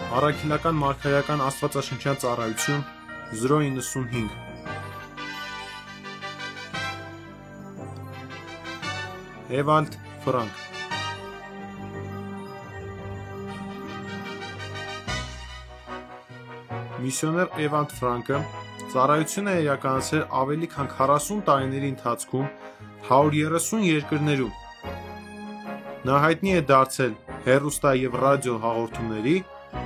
Առաքելական մարգարեական աստվածաշնչյան ծառայություն 095 Էվալդ Ֆրանկ Միսիոներ Էվալդ Ֆրանկը ծառայություն է իրականացրել ավելի քան 40 տարիների ընթացքում 130 երկրներում։ Նա հայտնի է դարձել հեռուստա և ռադիո հաղորդումների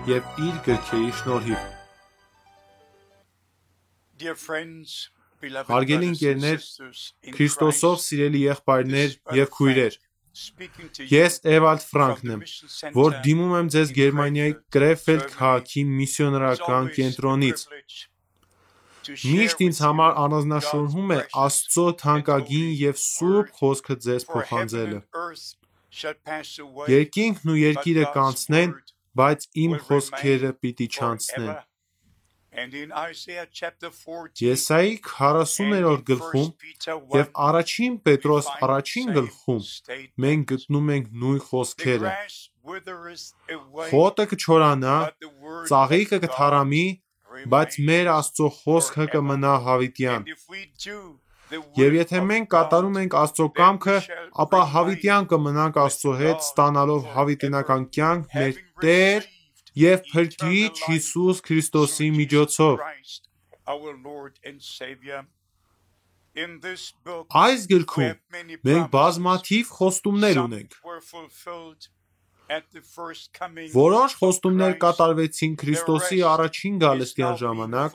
և իր գրքերի շնորհիվ։ Հարգելի ընկերներ, Քրիստոսով սիրելի եղբայրներ և քույրեր, ես Էվալդ Ֆրանկն եմ, որ դիմում եմ ձեզ Գերմանիայի Կրեֆելդ քաղաքի միսիոներական կենտրոնից։ Միշտ ինձ համար առանձնահատկություն է Աստծո թանկագին և սուրբ խոսքը ձեզ փոխանցելը։ Երկինքն ու երկիրը կանցնեն, բայց իմ խոսքերը պիտի չանցնեն։ Եսայի 40-րդ գլխում և առաջին Պետրոս առաջին գլխում մենք գտնում ենք նույն խոսքերը. Խոտը կչորանա, ծաղիկը կթառամի, բայց մեր Աստծո խոսքը կմնա հավիտյան։ Եվ եթե մենք կատարում ենք Աստծո կամքը, ապա հավիտյան կմնանք Աստծո հետ, ստանալով հավիտենական կյանք մեր Տեր և Փրկիչ Հիսուս Քրիստոսի միջոցով։ Այս գրքում մենք բազմաթիվ խոստումներ ունենք։ Որոշ խոստումներ կատարվեցին Քրիստոսի առաջին գալստյան ժամանակ,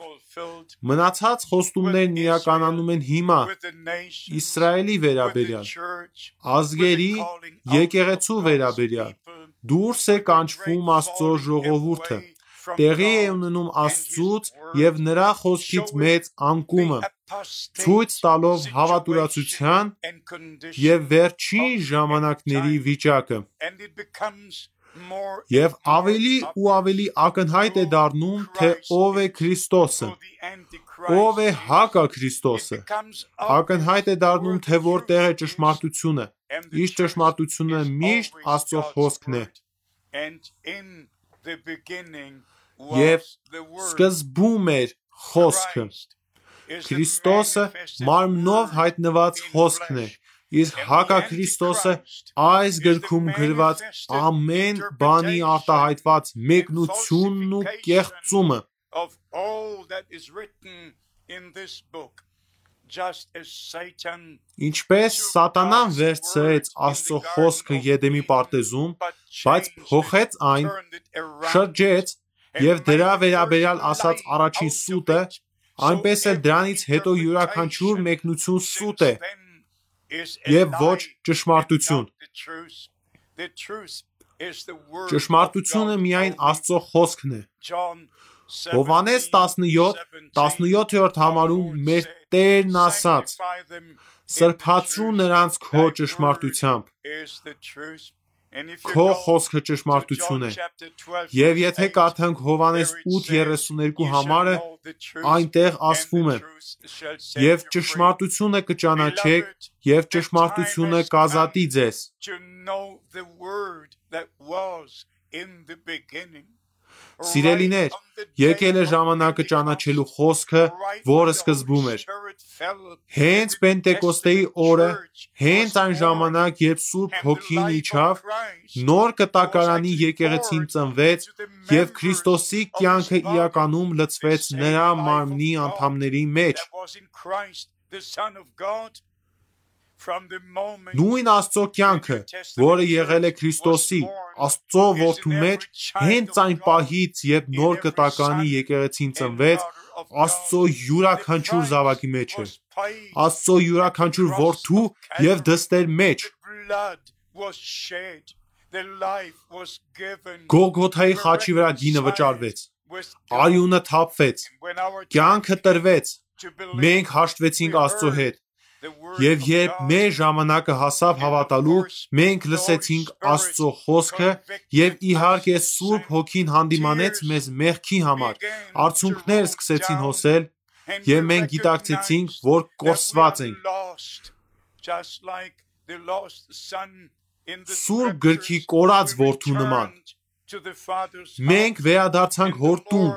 մնացած խոստումներն իրականանում են հիմա Իսրայելի վերաբերյալ, ազգերի, եկեղեցու վերաբերյալ, դուրս է կանչվում Աստծո ժողովուրդը, տեղի է ունենում Աստծուց և նրա խոսքից մեծ անկումը, ցույց տալով հավատուրացության և վերջին ժամանակների վիճակը։ Եվ ավելի ու ավելի ակնհայտ է դառնում, թե ով է Քրիստոսը, ով է հակաքրիստոսը։ Ակնհայտ է դառնում, թե որտեղ է ճշմարտությունը, իսկ ճշմարտությունը միշտ Աստծո խոսքն է։ Եվ սկզբում էր խոսքը։ Քրիստոսը մարմնով հայտնված խոսքն է, իսկ հակաքրիստոսը այս գրքում գրված ամեն բանի արտահայտված մեկնությունն ու կեղծումը։ Ինչպես Սատանան վերցրեց Աստծո խոսքը Եդեմի պարտեզում, բայց փոխեց այն, շրջեց և դրա վերաբերյալ ասաց առաջին սուտը, այնպես էլ դրանից հետո յուրաքանչյուր մեկնություն սուտ է և ոչ ճշմարտություն։ Ճշմարտությունը միայն Աստծո խոսքն է։ Հովհաննես 17-րդ համարում մեր Տերն ասաց. «Սրբացրու նրանց քո ճշմարտությամբ, քո խոսքը ճշմարտություն է»։ Եվ եթե կարդանք Հովհաննես 8:32 համարը, այնտեղ ասվում է. «Եվ ճշմարտությունը կճանաչեք, և ճշմարտությունը կազատի ձեզ»։ Սիրելիներ, եկել է ժամանակը ճանաչելու խոսքը, որը սկզբում էր։ Հենց Պենտեկոստեի օրը, հենց այն ժամանակ, երբ Սուրբ Հոգին իջավ, նոր կտակարանի եկեղեցին ծնվեց և Քրիստոսի կյանքը իրականում լցվեց նրա մարմնի անդամների մեջ։ Նույն Աստծո կյանքը, որը եղել է Քրիստոսի, Աստծո Որդու մեջ, հենց այն պահից, երբ նոր կտակարանի եկեղեցին ծնվեց, Աստծո յուրաքանչյուր զավակի մեջ է, Աստծո յուրաքանչյուր որդու և դստեր մեջ։ Գողգոթայի խաչի վրա գինը վճարվեց, արյունը թափվեց, կյանքը տրվեց, մենք հաշտվեցինք Աստծո հետ։ Եվ երբ մեր ժամանակը հասավ հավատալու, մենք լսեցինք Աստծո խոսքը և իհարկե Սուրբ Հոգին հանդիմանեց մեզ մեղքի համար, արցունքներ սկսեցին հոսել, և մենք գիտակցեցինք, որ կորսված ենք։ Սուրբ գրքի կորած որդու նման, Մենք վերադարձանք հոր տուն,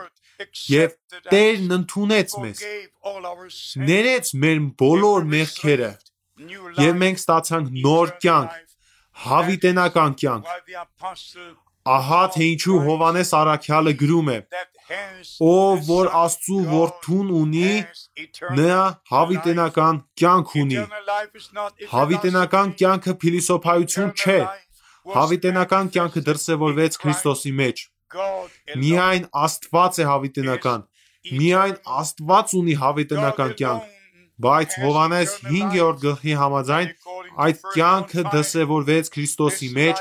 եւ Տերն ընդունեց մեզ, ներեց մեր բոլոր մեղքերը, եւ մենք ստացանք նոր կյանք, հավիտենական կյանք։ Ահա թե ինչու Հովհաննես առաքյալը գրում է. ով որ Աստծու որդուն ունի, նա հավիտենական կյանք ունի։ Հավիտենական կյանքը փիլիսոփայություն չէ։ Հավիտենական կյանքը դրսևորվեց Քրիստոսի մեջ։ Միայն Աստված է հավիտենական։ Միայն Աստված ունի հավիտենական կյանք։ Բայց Հովհաննես 5-րդ գլխի համաձայն այդ կյանքը դրսևորվեց Քրիստոսի մեջ,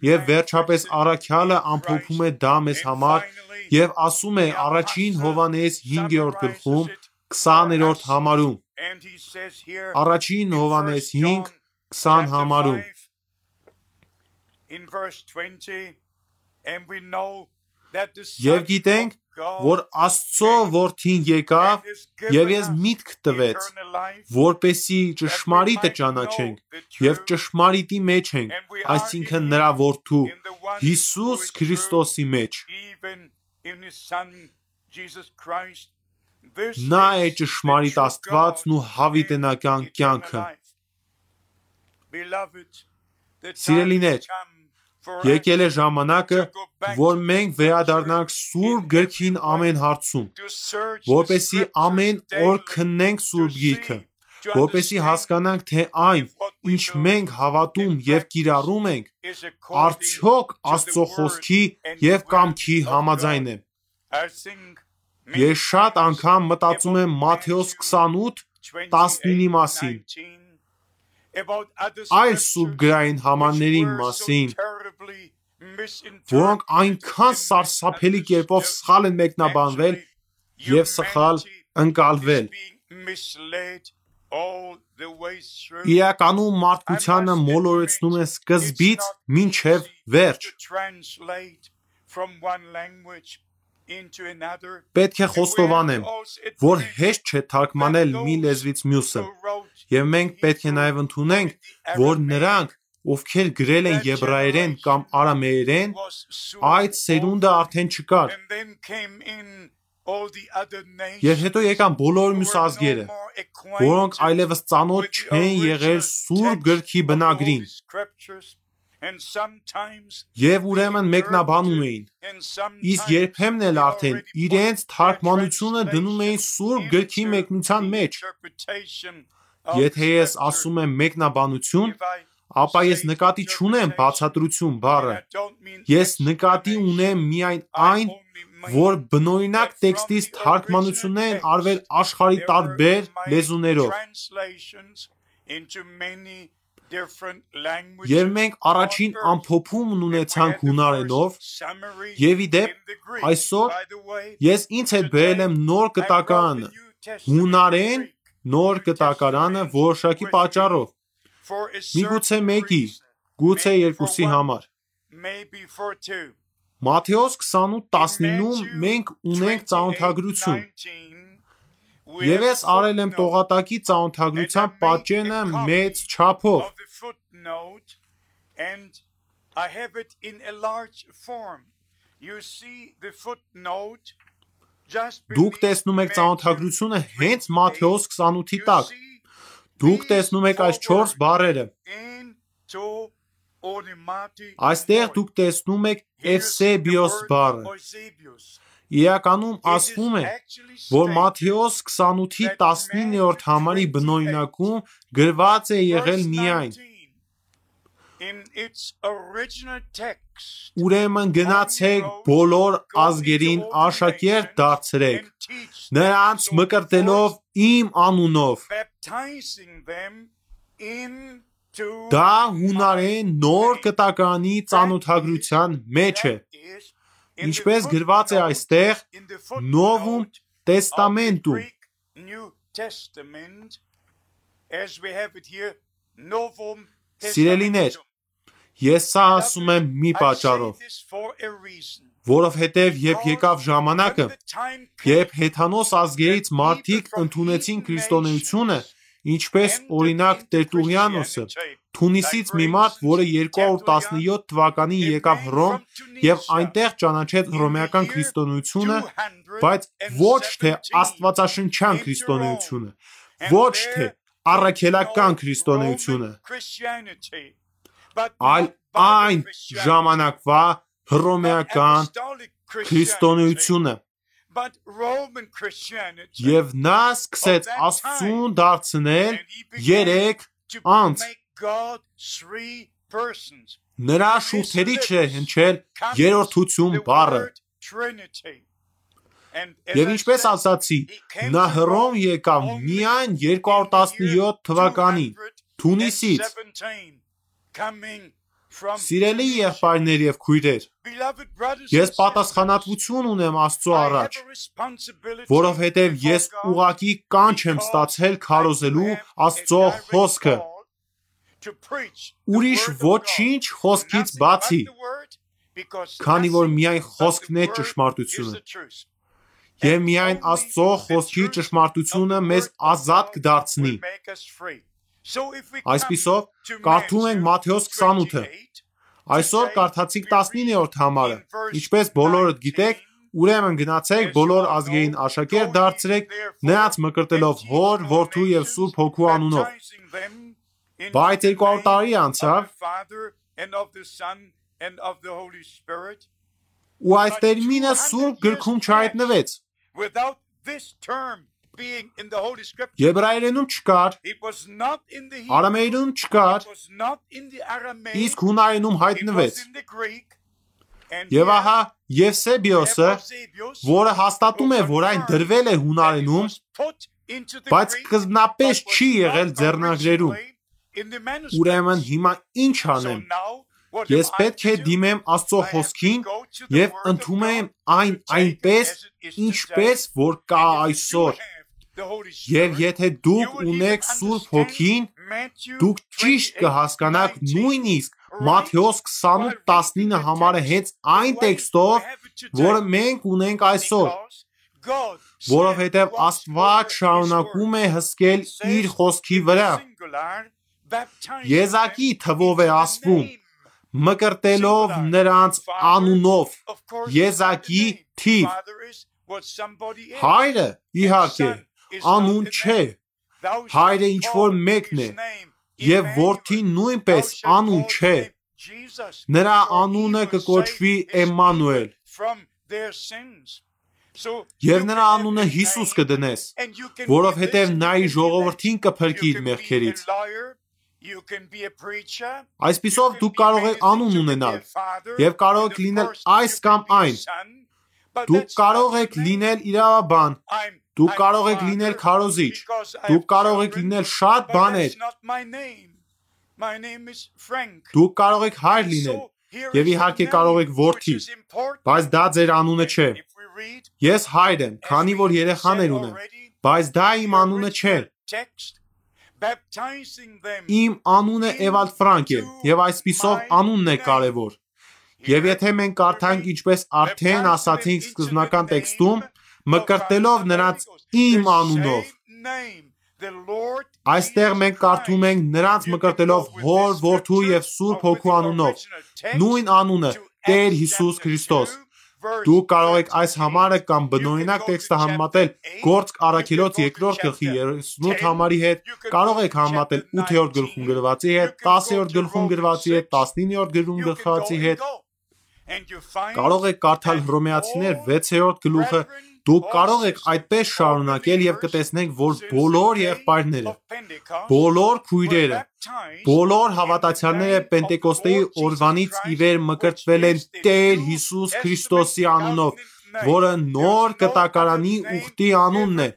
եւ վերջապես առաքյալը ամփոփում է դա մեզ համար եւ ասում է առաջին Հովհաննես 5-րդ գլխում 20-րդ համարում։ Առաջին Հովհաննես 5:20 համարում։ Եվ գիտենք, որ Աստծո որդին եկավ եւ ես միտք տվեց, որպեսի ճշմարիտը ճանաչենք եւ ճշմարիտի մեջ ենք, այսինքն նրա որդու Հիսուս Քրիստոսի մեջ։ Նա է ճշմարիտ Աստվածն ու հավիտենական կյանքը։ Սիրելիներ, եկել է ժամանակը, որ մենք վերադառնանք Սուրբ գրքին ամեն հարցում, որպեսզի ամեն օր քննենք Սուրբ գիրքը, որպեսզի հասկանանք, թե այն, ինչ մենք հավատում եւ կիրառում ենք, արդյոք Աստծո խոսքի եւ կամքի համաձայն է։ Ես շատ անգամ մտածում եմ Մատթեոս 28:19-ի մասին, այլ սուրբգրային համարների մասին, որոնք այնքան սարսափելի կերպով սխալ են մեկնաբանվել եւ սխալ ընկալվել։ Իրականում մարդկությանը մոլորեցնում են սկզբից մինչև վերջ։ Պետք է խոստովանեմ, որ հեշտ չէ թարգմանել մի լեզվից մյուսը, եւ մենք պետք է նաեւ ընդունենք, որ նրանք, ովքեր գրել են եբրայերեն կամ արամեերեն, այդ սերունդը արդեն չկար։ Եվ հետո եկան բոլոր մյուս ազգերը, որոնք այլևս ծանոթ չեն եղել Սուրբ գրքի բնագրին։ Եվ ուրեմն մեկնաբանում էին, իսկ երբեմն էլ արդեն իրենց թարգմանությունը դնում էին Սուրբ գրքի մեկնության մեջ։ Եթե ես ասում եմ մեկնաբանություն, ապա ես նկատի չունեմ բացատրություն բառը։ Ես նկատի ունեմ միայն այն, որ բնօրինակ տեքստից թարգմանություններ են արվել աշխարհի տարբեր լեզուներով։ Եվ մենք առաջին ամփոփումն ունեցանք հունարենով, եւ ի դեպ, այսօր ես ինձ հետ բերել եմ նոր կտակարանը, հունարեն նոր կտակարանը որոշակի պատճառով, միգուցե մեկի, գուցե երկուսի համար։ Մատթեոս 28:19-ում մենք ունենք ծանոթագրություն, եւ ես արել եմ տողատակի ծանոթագրության պատճենը մեծ չափով։ Դուք տեսնում եք ծանոթագրությունը հենց Մատթեոս 28-ի տակ։ Դուք տեսնում եք այս 4 բառերը։ Այստեղ դուք տեսնում եք Էվսեբիոս բառը։ Իրականում ասվում է, որ Մատթեոս 28-ի 19-րդ համարի բնօրինակում գրված է եղել միայն. Ուրեմն գնացեք բոլոր ազգերին աշակերտ դարձրեք, նրանց մկրտելով իմ անունով։ Դա հունարեն նոր կտակարանի ծանոթագրության մեջ է, ինչպես գրված է այստեղ Նովում Տեստամենտում։ Սիրելիներ, ես սա ասում եմ մի պատճառով, որովհետև երբ եկավ ժամանակը, երբ հեթանոս ազգերից մարդիկ ընդունեցին քրիստոնեությունը, Ինչպես օրինակ Տերտուլիանոսը, Թունիսից մի մարդ, որը 217 թվականին եկավ Հռոմ եւ այնտեղ ճանաչեց հռոմեական քրիստոնեությունը, բայց ոչ թե աստվածաշնչյան քրիստոնեությունը, ոչ թե առաքելական քրիստոնեությունը, այլ այն ժամանակվա հռոմեական քրիստոնեությունը։ Եվ նա սկսեց Աստծուն դարձնել 3 անձ։ Նրա շուրթերից է հնչել երրորդություն բառը։ Եվ ինչպես ասացի, նա Հռոմ եկավ միայն 217 թվականին Թունիսից։ Սիրելի եղբայրներ եւ քույրեր, ես պատասխանատվություն ունեմ Աստծո առաջ, որովհետև ես ուղղակի կանչ եմ ստացել քարոզելու Աստծո խոսքը։ Ուրիշ ոչինչ խոսքից բացի, քանի որ միայն խոսքն է ճշմարտությունը։ Եվ միայն Աստծո խոսքի ճշմարտությունը մեզ ազատ կդարձնի։ Այսպիսով, կարդում ենք Մատթեոս 28-ը։ Այսօր կարդացինք 19-րդ համարը։ Ինչպես բոլորդ գիտեք, ուրեմն գնացեք բոլոր ազգերին աշակերտ դարձրեք, նրանց մկրտելով Հոր, Որդու եւ Սուրբ Հոգու անունով։ Բայց 200 տարի անցավ, ու այս տերմինը Սուրբ գրքում չհայտնվեց։ Եբրայերենում չկար, արամեերենում չկար, իսկ հունարենում հայտնվեց։ Եվ ահա Եվսեբիոսը, որը հաստատում է, որ այն դրվել է հունարենում, բայց սկզբնապես չի եղել ձեռնարկերում։ Ուրեմն հիմա ինչ անեմ։ Ես պետք է դիմեմ Աստծո խոսքին եւ ընդունեմ այն այնպես, ինչպես որ կա այսօր։ Եվ եթե դուք ունեք Սուրբ Հոգին, դուք ճիշտ կհասկանաք նույնիսկ Մատթեոս 28:19 համարը հենց այն տեքստով, որը մենք ունենք այսօր, որովհետև Աստված շարունակում է հսկել իր խոսքի վրա։ Եզակի թվով է ասվում, մկրտելով նրանց անունով, եզակի թիվ։ Հայրը, իհարկե, անուն չէ, հայրը ինչ-որ մեկն է, և որդին նույնպես անուն չէ, նրա անունը կկոչվի Էմմանուել, և նրա անունը Հիսուս կդնես, որովհետև նա իր ժողովրդին կփրկի իր մեղքերից։ Այսպիսով դուք կարող եք անուն ունենալ, և կարող եք լինել այս կամ այն, դուք կարող եք լինել իրավաբան, դուք կարող եք լինել քարոզիչ, դուք կարող եք լինել շատ բաներ, դուք կարող եք հայր լինել, և իհարկե կարող եք որդի, բայց դա ձեր անունը չէ։ Ես հայր եմ, քանի որ երեխաներ ունեմ, բայց դա իմ անունը չէ։ Իմ անունը Էվալդ Ֆրանկ է, և այսպիսով անունն է կարևոր։ Եվ եթե մենք կարդանք ինչպես արդեն ասացինք սկզբնական տեքստում, մկրտելով նրանց իմ անունով, այստեղ մենք կարդում ենք նրանց մկրտելով Հոր, Որդու և Սուրբ Հոգու անունով, նույն անունը Տեր Հիսուս Քրիստոս։ Դուք կարող եք այս համարը կամ բնօրինակ տեքստը համեմատել Գործք առաքելոց 2-րդ գլխի 38 համարի հետ, կարող եք համեմատել 8-րդ գլխում գրվածի հետ, 10-րդ գլխում գրվածի հետ, 19-րդ գլխում գրվածի հետ։ Կարող եք կարդալ Հռոմեացիներ 6-րդ գլուխը, դուք կարող եք այդպես շարունակել և կտեսնեք, որ բոլոր եղբայրները, բոլոր քույրերը, բոլոր հավատացյալները Պենտեկոստեի օրվանից ի վեր մկրտվել են Տեր Հիսուս Քրիստոսի անունով, որը նոր կտակարանի ուխտի անունն է։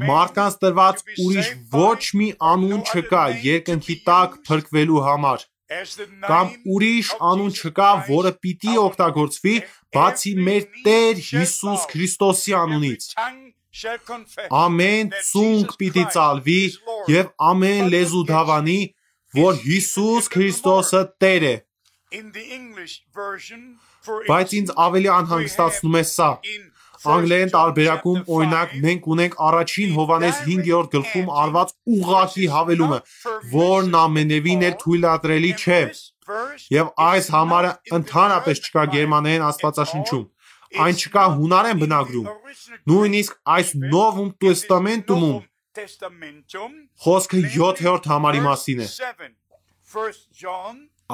Մարդկանց տրված ուրիշ ոչ մի անուն չկա երկնքի տակ փրկվելու համար, կամ ուրիշ անուն չկա, որը պիտի օգտագործվի, բացի մեր Տեր Հիսուս Քրիստոսի անունից։ Ամեն ծունկ պիտի ծալվի և ամեն լեզու դավանի, որ Հիսուս Քրիստոսը Տեր է։ Բայց ինձ ավելի անհանգստացնում է սա։ անգլերեն տարբերակում օրինակ մենք ունենք առաջին Հովհաննես 5-րդ գլխում արված ուղղակի հավելումը, որն ամենևին էլ թույլատրելի չէ, եւ այս համարը ընդհանրապես չկա գերմաներեն աստվածաշնչում, այն չկա հունարեն բնագրում, նույնիսկ այս Նովում Տեստամենտում խոսքը 7-րդ համարի մասին է։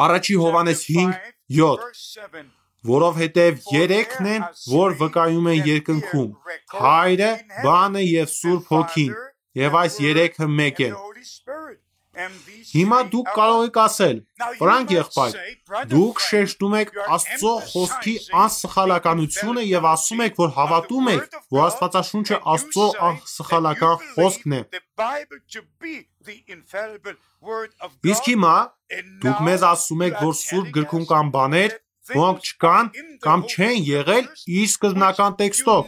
Առաջի Հովհաննես 5:7 Որովհետև երեքն են, որ վկայում են երկնքում, Հայրը, Բանը եւ Սուրբ Հոգին, եւ այս երեքը մեկ են։ Հիմա դուք կարող եք ասել, Ֆրանկ եղբայր, դուք շեշտում եք Աստծո խոսքի անսխալականությունը եւ ասում եք, որ հավատում եք, որ Աստվածաշունչը Աստծո անսխալական խոսքն է։ Իսկ հիմա դուք մեզ ասում եք, որ Սուրբ գրքում կան բաներ, որոնք չկան կամ չեն եղել իր սկզբնական տեքստով։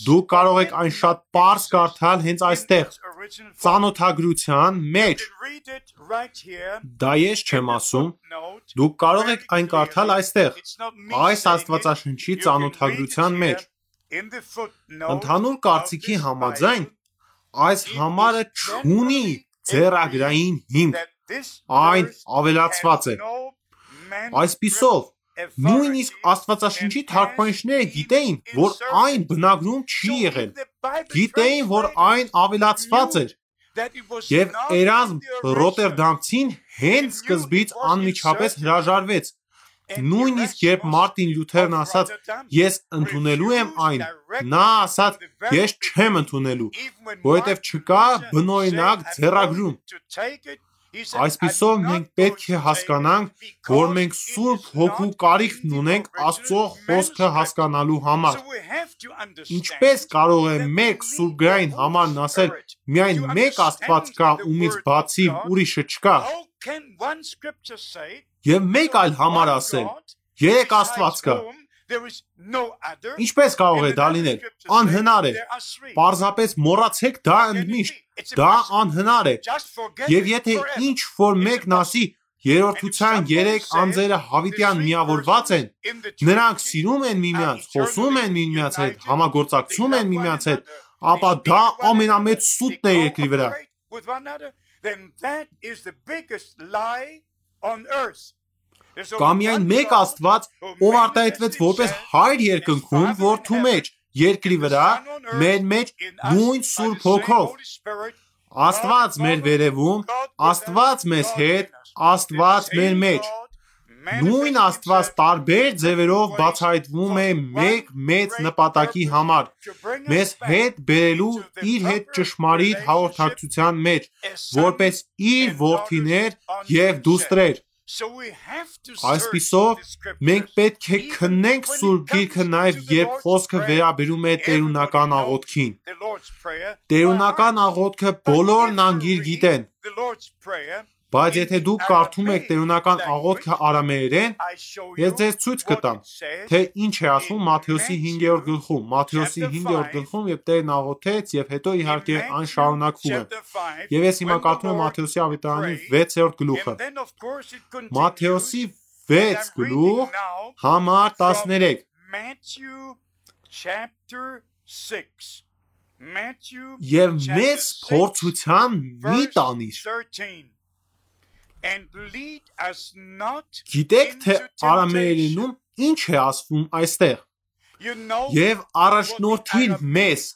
Դուք կարող եք այն շատ պարզ կարդալ հենց այստեղ, ծանոթագրության մեջ։ Դա ես չեմ ասում, դուք կարող եք այն կարդալ այստեղ, այս աստվածաշնչի ծանոթագրության մեջ։ Ընդհանուր կարծիքի համաձայն, այս համարը չունի ձեռագրային հիմք, այն ավելացված է։ Այսպիսով, նույնիսկ աստվածաշնչի թարգմանիչները գիտեին, որ այն բնագրում չի եղել, գիտեին, որ այն ավելացված էր, եւ Էրազմ Ռոտերդամցին հենց սկզբից անմիջապես հրաժարվեց, նույնիսկ երբ Մարտին Լյութերն ասաց, ես ընդունելու եմ այն, նա ասաց, ես չեմ ընդունելու, որովհետեւ չկա բնօրինակ ձեռագրում։ Այսպիսով մենք պետք է հասկանանք, որ մենք Սուրբ Հոգու կարիքն ունենք Աստծո խոսքը հասկանալու համար։ Ինչպես կարող է մեկ սուրբգրային համարն ասել, միայն մեկ Աստված կա, ումից բացի ուրիշը չկա։ Եվ մեկ այլ համար ասել, երեք Աստված կա։ Ինչպես կարող է դա լինել։ Անհնար է։ Պարզապես մոռացեք դա ընդմիշտ։ Դա անհնար է։ Եվ եթե ինչ որ մեկն ասի, երրորդության երեք անձերը հավիտյան միավորված են, նրանք սիրում են միմյանց, խոսում են միմյանց հետ, համագործակցում են միմյանց հետ, ապա դա ամենամեծ սուտն է երկրի վրա։ Կա միայն մեկ Աստված, ով արտահայտվեց որպես Հայր երկնքում, որդու մեջ, երկրի վրա, մեր մեջ նույն Սուրբ Հոգով։ Աստված մեր վերևում, Աստված մեզ հետ, Աստված մեր մեջ։ Նույն Աստված տարբեր ձևերով բացահայտվում է մեկ մեծ նպատակի համար, մեզ հետ բերելու իր հետ ճշմարիտ հաղորդակցության մեջ, որպես իր որդիներ եւ դուստրեր։ Այսպիսով, մենք պետք է քննենք Սուրբ Գիրքը նաև երբ խոսքը վերաբերում է տերունական աղոթքին։ Տերունական աղոթքը բոլորն անգիր գիտեն, բայց եթե դուք կարդում եք տերունական աղոթքը արամեերեն, ես ձեզ ցույց կտամ, թե ինչ է ասվում Մատթեոսի 5-րդ գլխում, Մատթեոսի 5-րդ գլխում եւ Տերն աղոթեց եւ հետո իհարկե այն շարունակվում է։ Եվ ես հիմա կարդում եմ Մատթեոսի ավետարանի 6-րդ գլուխը։ Մատթեոսի 6 գլուխ համար 13։ Եվ մեծ փորձության մի տանիր։ Գիտեք, թե արամեերենում ինչ է ասվում այստեղ։ Եվ առաջնորդիր մեզ,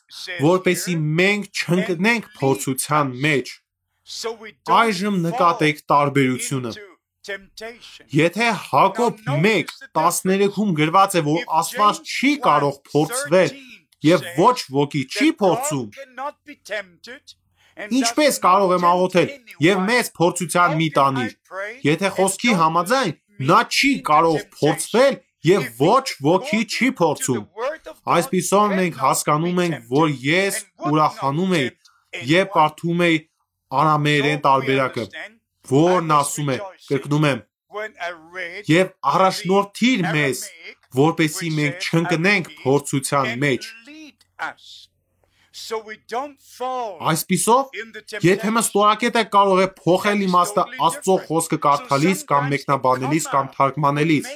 որպեսզի մենք չընկնենք փորձության մեջ։ Այժմ նկատեք տարբերությունը։ Եթե Հակոբ 1:13-ում գրված է, որ Աստված չի կարող փորձվել եւ ոչ ոքի չի փորձում, ինչպես կարող եմ աղոթել եւ մեծ փորձության մի տանիր։ Եթե խոսքի համաձայն, նա չի կարող փորձվել եւ ոչ ոքի չի փորձում։ Այսպիսով մենք հասկանում ենք, որ ես ուրախանում եմ եւ կարդում եմ արամեերեն տարբերակը, որն ասում է, կրկնում եմ, եւ առաջնորդիր մեզ, որպեսզի մենք չընկնենք փորձության մեջ։ Այսպիսով, եթե մստորակետը կարող է փոխել իմաստը Աստծո խոսքը կարդալիս կամ մեկնաբանելիս կամ թարգմանելիս։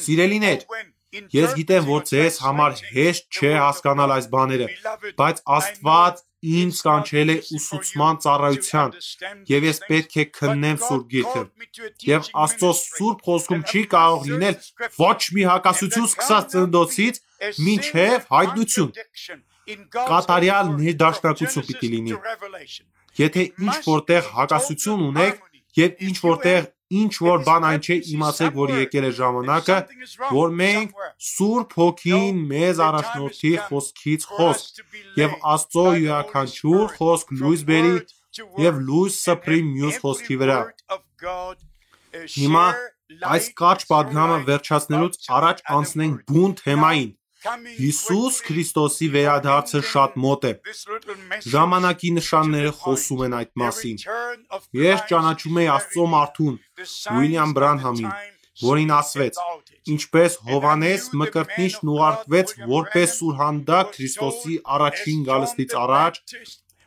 Սիրելիներ, Ես գիտեմ, որ ձեզ համար հեշտ չէ հասկանալ այս բաները, բայց Աստված ինձ կանչել է ուսուցման ծառայության, եւ ես պետք է քննեմ Սուրբ Գիրքը։ Եվ Աստծո Սուրբ խոսքում չի կարող լինել ոչ մի հակասություն սկսած ծննդոցից մինչև հայտնություն։ Կատարյալ ներդաշնակություն պիտի լինի։ Եթե ինչ որտեղ հակասություն ունեք եւ ինչ որտեղ ինչ որ բան այն չէ, իմացեք, որ եկել է ժամանակը, որ մենք Սուրբ Հոգին մեզ առաջնորդի խոսքից խոսք եւ Աստծո յուրաքանչյուր խոսք լույս բերի եւ լույս սփռի մյուս խոսքի վրա։ Հիմա այս կարճ պատգամը վերջացնելուց առաջ անցնենք բուն թեմային։ Հիսուս Քրիստոսի վերադարձը շատ մոտ է։ Ժամանակի նշանները խոսում են այդ մասին։ Ես ճանաչում եի Աստծո մարդուն, Ուիլյամ Բրանհամին, որին ասվեց. ինչպես Հովհաննես Մկրտիչն ուղարկվեց որպես սուրհանդակ Քրիստոսի առաջին գալստից առաջ,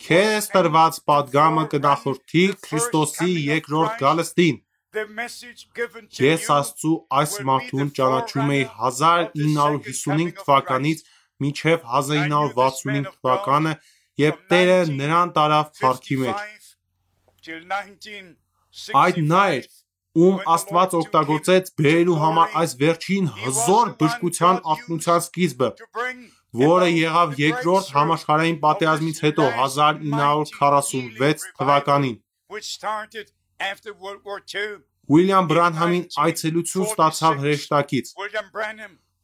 քեզ տրված պատգամը կնախորդի Քրիստոսի երկրորդ գալստին։ Ես Աստծու այս մարդուն ճանաչում էի 1955 թվականից մինչև 1965 թվականը, երբ Տերը նրան տարավ փառքի մեջ։ Այդ նա էր, ում Աստված օգտագործեց բերելու համար այս վերջին հզոր բժշկության ակնության սկիզբը, որը եղավ երկրորդ համաշխարհային պատերազմից հետո 1946 թվականին։ Ուիլյամ Բրանհամին այցելություն ստացավ հրեշտակից։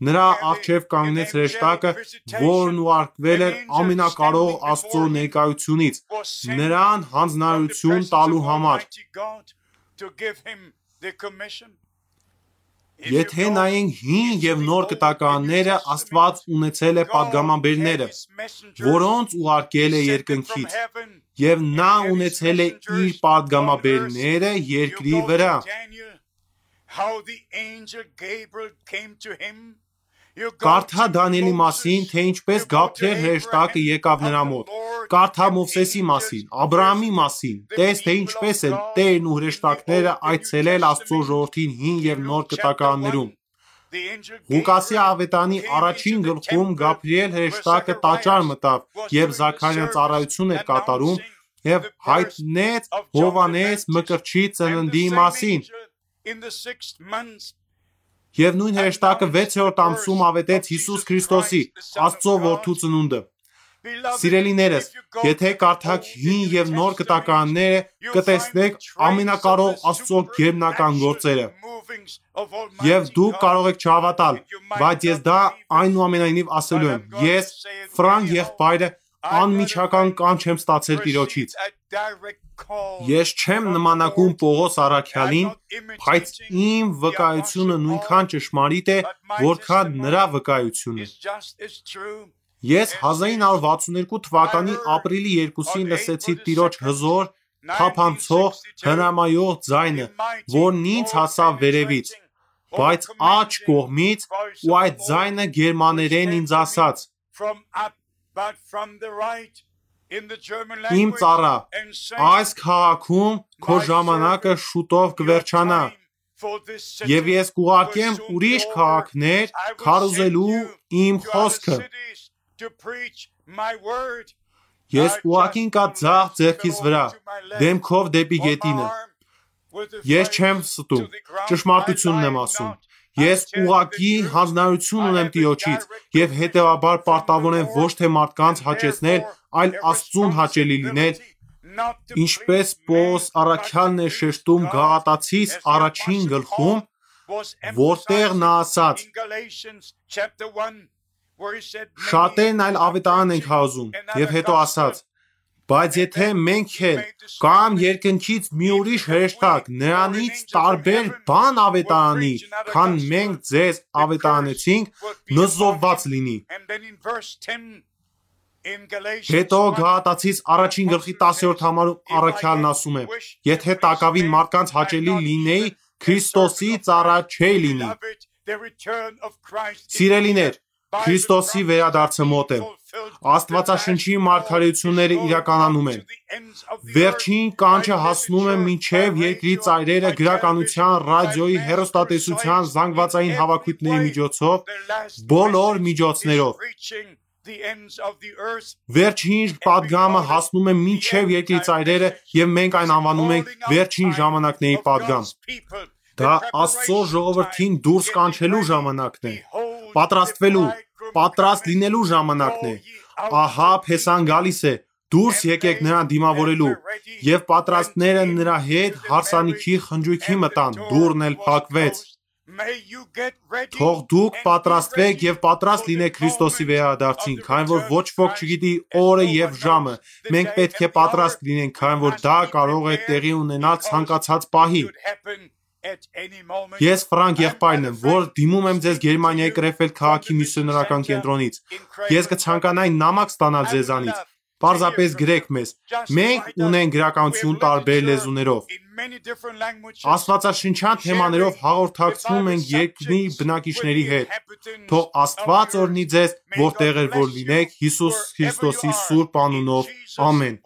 Նրա առջև կանգնեց հրեշտակը, որն ուղարկվել էր ամենակարող Աստծո ներկայությունից, նրան հանձնարարություն տալու համար։ Եթե նայենք հին եւ նոր կտականները, Աստված ունեցել է պատգամաբերները, որոնց ուղարկել է երկնքից, եւ նա ունեցել է իր պատգամաբերները երկրի վրա։ Կարդա Դանիելի մասին, թե ինչպես Գաբրիել հրեշտակը եկավ նրա մոտ։ Կարդա Մովսեսի մասին, Աբրահամի մասին, տես թե ինչպես են Տերն ու հրեշտակները այցելել Աստծո ժողովրդին հին եւ նոր կտականներում։ Ղուկասի ավետանի առաջին գլխում Գաբրիել հրեշտակը տաճար մտավ եւ Զաքարիան ծառայություն էր կատարում եւ հայտնեց Հովհաննես Մկրտչի ծննդի մասին։ Եվ նույն հրեշտակը 6-րդ ամսում ավետեց Հիսուս Քրիստոսի, Աստծո որդու ծնունդը։ Սիրելիներս, եթե կարդաք հին եւ նոր կտականները, կտեսնեք ամենակարող Աստծո գերբնական գործերը։ Եվ դուք կարող եք չհավատալ, բայց ես դա այնուամենայնիվ ասելու եմ։ Ես Ֆրանկ եղբայրը անմիջական կանչ եմ ստացել Տիրոջից։ Ես չեմ նմանակում Պողոս առաքյալին, բայց իմ վկայությունը նույնքան ճշմարիտ է, որքան նրա վկայությունը։ Ես 1962 թվականի ապրիլի 2-ին լսեցի Տիրոջ հզոր, թափանցող, հրամայող ձայնը, որն ինձ հասավ վերևից, բայց աջ կողմից, ու այդ ձայնը գերմաներեն ինձ ասաց. Իմ ծառա, այս քաղաքում քո ժամանակը շուտով կվերջանա, եւ ես կուղարկեմ ուրիշ քաղաքներ քարոզելու իմ խոսքը։ Ես ուղղակին կա ձախ ձեռքիս վրա, դեմքով դեպի գետինը։ Ես չեմ ստում, ճշմարտությունն եմ ասում։ Ես ուղղակի հանձնարարություն ունեմ Տիրոջից եւ հետեւաբար պարտավոր եմ ոչ թե մարդկանց հաճեցնել, այլ Աստծուն հաճելի լինել, ինչպես Պողոս առաքյալն է շեշտում Գաղատացիս առաջին գլխում, որտեղ նա ասաց. շատերն այլ ավետարան ենք հավազում, եւ հետո ասաց. բայց եթե մենք էլ կամ երկնքից մի ուրիշ հրեշտակ նրանից տարբեր բան ավետարանի, քան մենք ձեզ ավետարանեցինք, նզովված լինի։ Հետո Գաղատացիս առաջին գլխի 10-րդ համարում առաքյալն ասում է. եթե տակավին մարդկանց հաճելի լինեի, Քրիստոսի ծառա չէի լինի։ Սիրելիներ, Քրիստոսի վերադարձը մոտ է։ Աստվածաշնչի մարգարեությունները իրականանում են։ Վերջին կանչը հասնում է մինչև երկրի ծայրերը գրականության, ռադիոյի, հեռուստատեսության, զանգվածային հավաքույթների միջոցով, բոլոր միջոցներով։ Վերջին պատգամը հասնում է մինչև երկրի ծայրերը եւ մենք այն անվանում ենք վերջին ժամանակների պատգամ։ Դա Աստծո ժողովրդին դուրս կանչելու ժամանակն է, պատրաստվելու, պատրաստ լինելու ժամանակն է։ Ահա Փեսան գալիս է, դուրս եկեք նրան դիմավորելու, եւ պատրաստները նրա հետ հարսանիքի խնջույքի մտան, դուռն էլ փակվեց։ Թող դուք պատրաստվեք եւ պատրաստ լինեք Քրիստոսի վերադարձին, քանի որ ոչ ոք չգիտի օրը եւ ժամը։ Մենք պետք է պատրաստ լինենք, քանի որ դա կարող է տեղի ունենալ ցանկացած պահի։ Ես Ֆրանկ եղբայրն եմ, որ դիմում եմ ձեզ Գերմանիայի Կրեֆելդ քաղաքի միսիոներական կենտրոնից։ Ես կցանկանայի նամակ ստանալ ձեզանից։ Պարզապես գրեք մեզ։ Մենք ունենք գրականություն տարբեր լեզուներով։ Աստվածաշնչյան թեմաներով հաղորդակցվում ենք երկրի բնակիչների հետ։ Թող Աստված օրհնի ձեզ, որտեղ որ լինեք, Հիսուս Քրիստոսի սուրբ անունով։ Ամեն։